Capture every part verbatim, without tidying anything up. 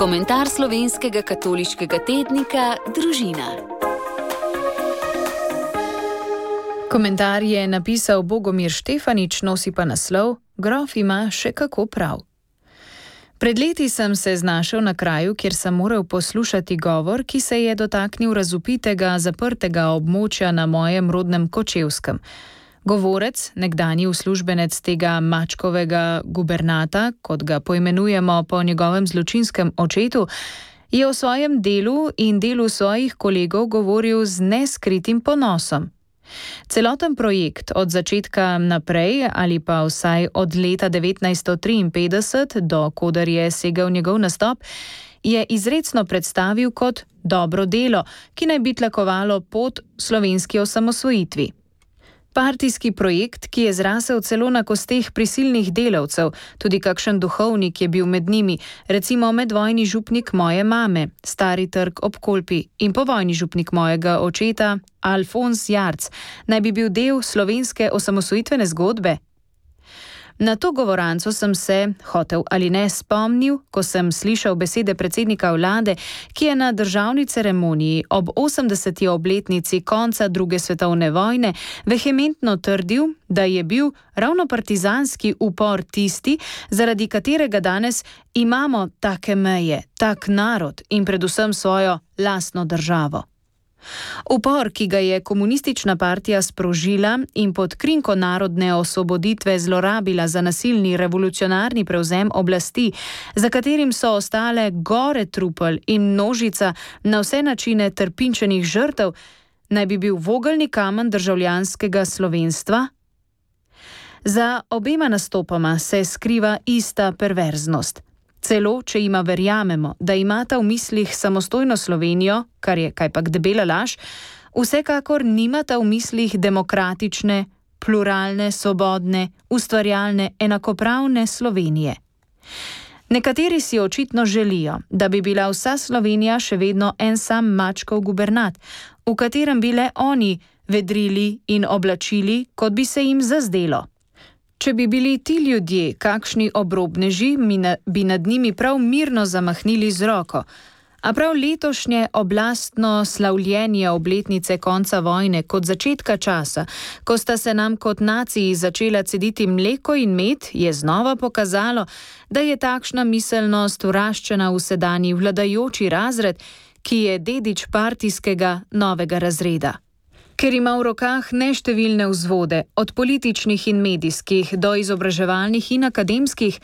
Komentar slovenskega katoliškega tednika Družina. Komentar je napisal Bogomir Štefanič, nosi pa naslov Grof ima še kako prav. Pred leti sem se znašel na kraju, kjer sem moral poslušati govor, ki se je dotaknil razvpitega, zaprtega območja na mojem rodnem Kočevskem. Govorec, nekdanji uslužbenec tega mačkovega gubernata, kot ga poimenujemo po njegovem zločinskem očetu, je o svojem delu in delu svojih kolegov govoril z neskritim ponosom. Celoten projekt od začetka naprej ali pa vsaj od leta devetnajststo triinpetdeset, do koder je segel njegov nastop, je izrecno predstavil kot dobro delo, ki naj bi tlakovalo pot slovenski osamosvojitvi. Partijski projekt, ki je zrasel celo na kosteh prisilnih delavcev, tudi kakšen duhovnik je bil med njimi, recimo medvojni župnik moje mame, Stari trg ob Kolpi, in povojni župnik mojega očeta, Alfons Jarc, naj bi bil del slovenske osamosvojitvene zgodbe. Na to govoranco sem se, hotel ali ne, spomnil, ko sem slišal besede predsednika vlade, ki je na državni ceremoniji ob osemdeseti obletnici konca druge svetovne vojne vehementno trdil, da je bil ravno partizanski upor tisti, zaradi katerega danes imamo take meje, tak narod in predvsem svojo lastno državo. Upor, ki ga je komunistična partija sprožila in pod krinko narodne osvoboditve zlorabila za nasilni revolucionarni prevzem oblasti, za katerim so ostale gore trupel in množica na vse načine trpinčenih žrtev, naj bi bil vogelni kamen državljanskega slovenstva? Za obema nastopama se skriva ista perverznost. Celo, če ima verjamemo, da imata v mislih samostojno Slovenijo, kar je kajpak debela laž, vsekakor nimata v mislih demokratične, pluralne, svobodne, ustvarjalne, enakopravne Slovenije. Nekateri si očitno želijo, da bi bila vsa Slovenija še vedno en sam mačkov gubernat, v katerem bi le oni vedrili in oblačili, kot bi se jim zazdelo. Če bi bili ti ljudje kakšni obrobneži, bi nad njimi prav mirno zamahnili z roko. A prav letošnje oblastno slavljenje obletnice konca vojne kot začetka časa, ko sta se nam kot naciji začela cediti mleko in med, je znova pokazalo, da je takšna miselnost vraščena v sedanji vladajoči razred, ki je dedič partijskega novega razreda. Ker ima v rokah neštevilne vzvode, od političnih in medijskih do izobraževalnih in akademskih,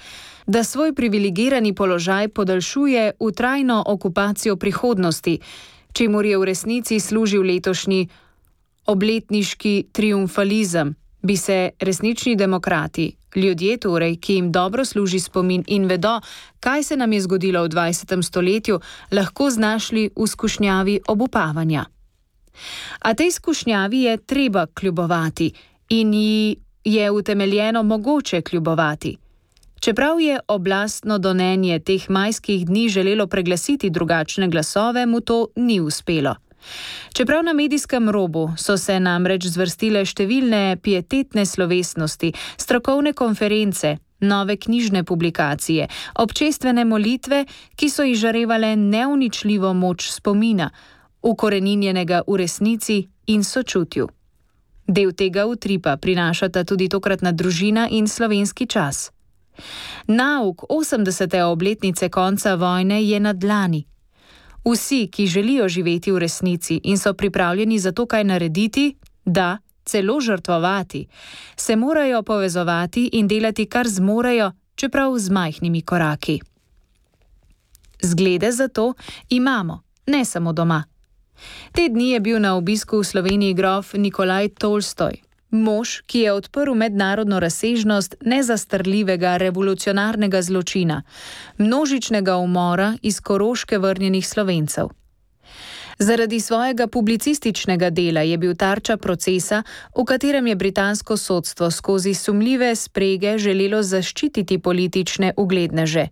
da svoj privilegirani položaj podaljšuje v trajno okupacijo prihodnosti, čemur je v resnici služil letošnji obletniški triumfalizem, bi se resnični demokrati, ljudje torej, ki jim dobro služi spomin in vedo, kaj se nam je zgodilo v dvajsetem stoletju, lahko znašli v skušnjavi obupavanja. A tej skušnjavi je treba kljubovati in ji je utemeljeno mogoče kljubovati. Čeprav je oblastno donenje teh majskih dni želelo preglasiti drugačne glasove, mu to ni uspelo. Čeprav na medijskem robu so se namreč zvrstile številne pietetne slovesnosti, strokovne konference, nove knjižne publikacije, občestvene molitve, ki so izžarevale neuničljivo moč spomina, ukoreninjenega v resnici in sočutju. Del tega utripa prinašata tudi tokratna Družina in Slovenski čas. Nauk osemdesete obletnice konca vojne je na dlani. Vsi, ki želijo živeti v resnici in so pripravljeni za to kaj narediti, da, celo žrtvovati, se morajo povezovati in delati kar zmorejo, čeprav z majhnimi koraki. Zglede za to imamo, ne samo doma. Te dni je bil na obisku v Sloveniji grof Nikolaj Tolstoj, mož, ki je odprl mednarodno razsežnost nezastrljivega revolucionarnega zločina, množičnega umora iz Koroške vrnjenih Slovencev. Zaradi svojega publicističnega dela je bil tarča procesa, v katerem je britansko sodstvo skozi sumljive sprege želelo zaščititi politične ugledneže.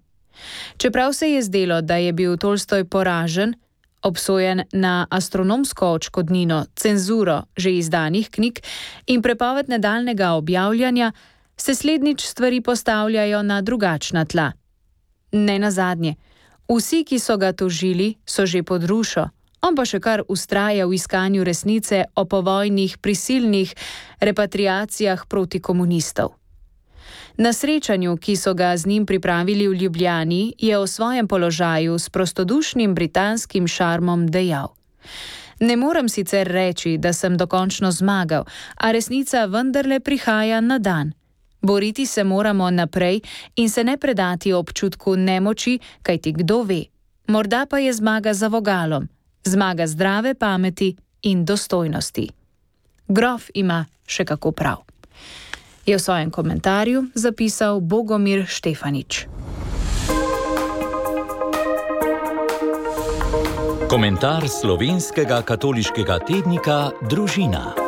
Čeprav se je zdelo, da je bil Tolstoj poražen, obsojen na astronomsko odškodnino, cenzuro že izdanih knjig in prepoved nadaljnjega objavljanja, se slednjič stvari postavljajo na drugačna tla. Ne nazadnje, Vsi, ki so ga tožili, so že pod rušo, on pa še kar vztraja v iskanju resnice o povojnih prisilnih repatriacijah proti komunistov. Na srečanju, ki so ga z njim pripravili v Ljubljani, je o svojem položaju s prostodušnim britanskim šarmom dejal: "Ne morem sicer reči, da sem dokončno zmagal, a resnica vendarle prihaja na dan. Boriti se moramo naprej in se ne predati občutku nemoči, kajti kdo ve, morda pa je zmaga za vogalom, zmaga zdrave pameti in dostojnosti." Grof ima še kako prav, je v svojem komentarju zapisal Bogomir Štefanič. Komentar slovenskega katoliškega tednika Družina.